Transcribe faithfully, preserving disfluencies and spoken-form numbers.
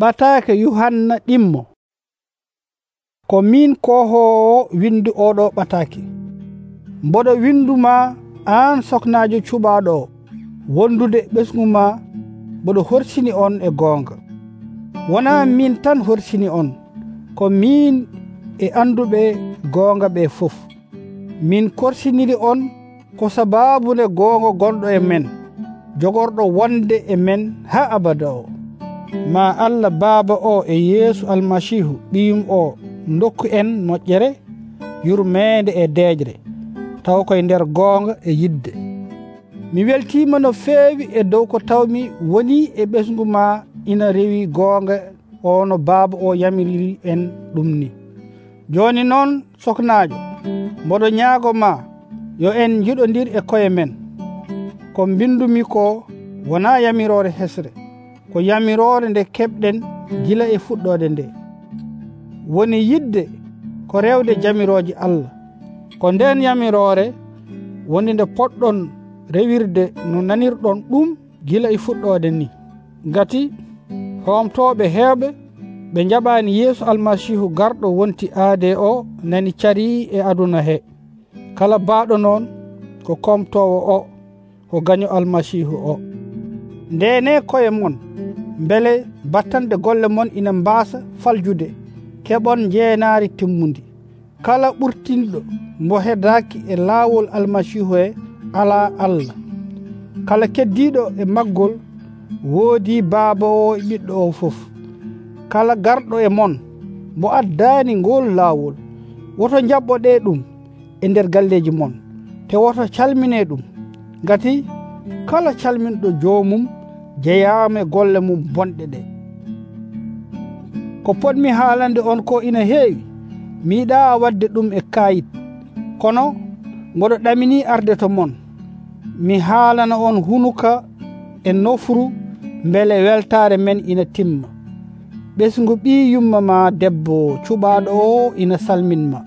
Ɓataake Yuhanna ɗimmo. Ko min kohoowo windu oɗo ɓataake. Mboɗo winduma aan soknaajo cuɓaaɗo o, wondude ɓesgu ma mboɗo horsini on e goonga. Wonaa min tan horsini on, ko min e anduɓe goonga ɓe fof. Min korsiniri on ko sabaabunde goonga gonɗo e men, jogorɗo wonde e men haa abada o. Ma Allah Baaba o e Yeesu Almasiihu ɓiyum o dokku en moƴƴere, yurmeende e deejre, taw koye nder goonga e yidde. Mi weltiima no feewi e dow ko tawmi woni e ɓesgu ma ina rewi goonga o no Baaba o yamiriri en ɗum ni. Jooni noon soknaajo, mboɗo ñaago ma yo en njiɗondir e koye men. Ko mbindumi ko wonaa yamiroore hesre, ko yamiroore nde keɓɗen gila e fuɗɗoode nde. Woni yidde ko rewde jamirooji Allah, ko nden yamiroore woni nde poɗɗon rewirde no nanirɗon ɗum gila e fuɗɗoode ni. Ngati hoomtooɓe heewɓe ɓe njaɓaani Yeesu Almasiihu garɗo wonti aade o nani carii e aduna he. Kala baaɗo noon ko komtoowo o, ko gaño Almasiihu o. Ndeene koye mon, mbele battande golle mon ina mbaasa faljude, keɓon jeenaari timmundi. Kala ɓurtinɗo mbo hedaaki e laawol Almasiihu he alaa Allah. Kala keddiiɗo e maggol woodii Baaba o e Ɓiɗɗo o fof. Kala garɗo e mon mbo addaani ngol laawol, woto njaɓɓoɗee ɗum e nder galleeji mon, te woto calminee ɗum, ngati kala calminɗo joomum jeyaama e golle mum bonɗe ɗe. Ko potmi haalande on ko ina heewi, mi yiɗaa waɗde ɗum e kaayit, kono mboɗo ɗaminii arde to mon. Mi haalana on hunuka e nofru mbele weltaare men ina timma. Ɓesngu ɓii yumma ma debbo cuɓaaɗo o ina salminma.